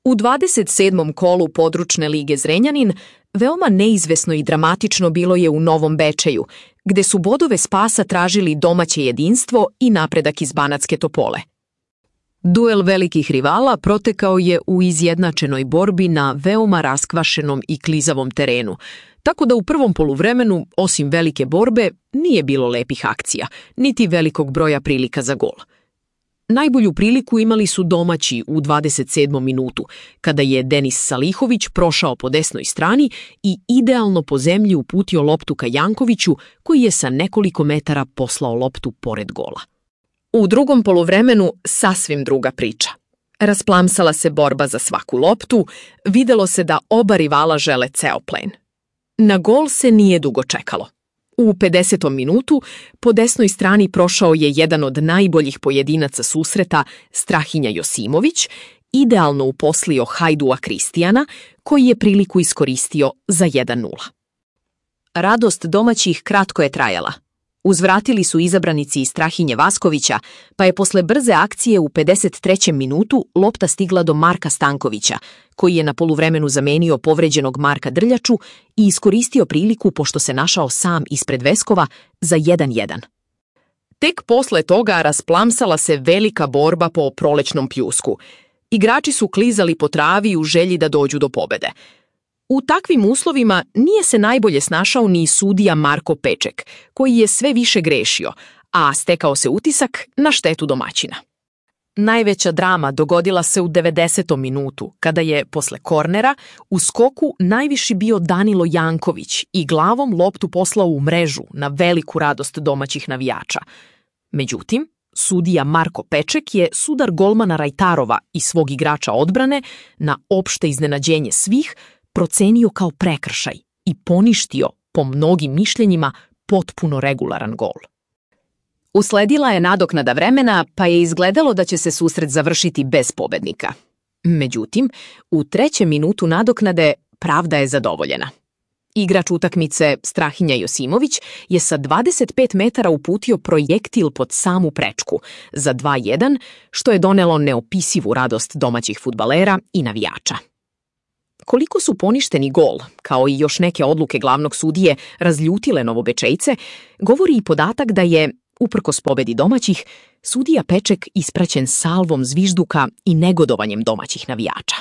U 27. kolu područne lige Zrenjanin veoma neizvesno i dramatično bilo je u Novom Bečeju, gde su bodove spasa tražili domaće jedinstvo i napredak iz Banatske Topole. Duel velikih rivala protekao je u izjednačenoj borbi na veoma raskvašenom i klizavom terenu, tako da u prvom poluvremenu, osim velike borbe, nije bilo lepih akcija, niti velikog broja prilika za gol. Najbolju priliku imali su domaći u 27. minutu, kada je Denis Salihović prošao po desnoj strani i idealno po zemlji uputio loptu ka Jankoviću, koji je sa nekoliko metara poslao loptu pored gola. U drugom poluvremenu sasvim druga priča. Rasplamsala se borba za svaku loptu, videlo se da oba rivala žele ceo plen. Na gol se nije dugo čekalo. U 50. minutu po desnoj strani prošao je jedan od najboljih pojedinaca susreta, Strahinja Josimović, idealno uposlio Hajdua Kristijana, koji je priliku iskoristio za 1:0. Radost domaćih kratko je trajala. Uzvratili su izabranici iz Strahinje Vaskovića, pa je posle brze akcije u 53. minutu lopta stigla do Marka Stankovića, koji je na poluvremenu zamenio povređenog Marka Drljaču i iskoristio priliku pošto se našao sam ispred Veskova za 1:1. Tek posle toga rasplamsala se velika borba po prolećnom pljusku. Igrači su klizali po travi u želji da dođu do pobede. U takvim uslovima nije se najbolje snašao ni sudija Marko Peček, koji je sve više grešio, a stekao se utisak na štetu domaćina. Najveća drama dogodila se u 90. minutu, kada je, posle kornera, u skoku najviši bio Danilo Janković i glavom loptu poslao u mrežu na veliku radost domaćih navijača. Međutim, sudija Marko Peček je sudar golmana Rajtarova i svog igrača odbrane, na opšte iznenađenje svih, procenio kao prekršaj i poništio, po mnogim mišljenjima, potpuno regularan gol. Usledila je nadoknada vremena, pa je izgledalo da će se susret završiti bez pobednika. Međutim, u 3. minutu nadoknade pravda je zadovoljena. Igrač utakmice Strahinja Josimović je sa 25 metara uputio projektil pod samu prečku za 2:1, što je donelo neopisivu radost domaćih fudbalera i navijača. Koliko su poništeni gol, kao i još neke odluke glavnog sudije, razljutile Novobečejce, govori i podatak da je, uprkos pobedi domaćih, sudija Peček ispraćen salvom zvižduka i negodovanjem domaćih navijača.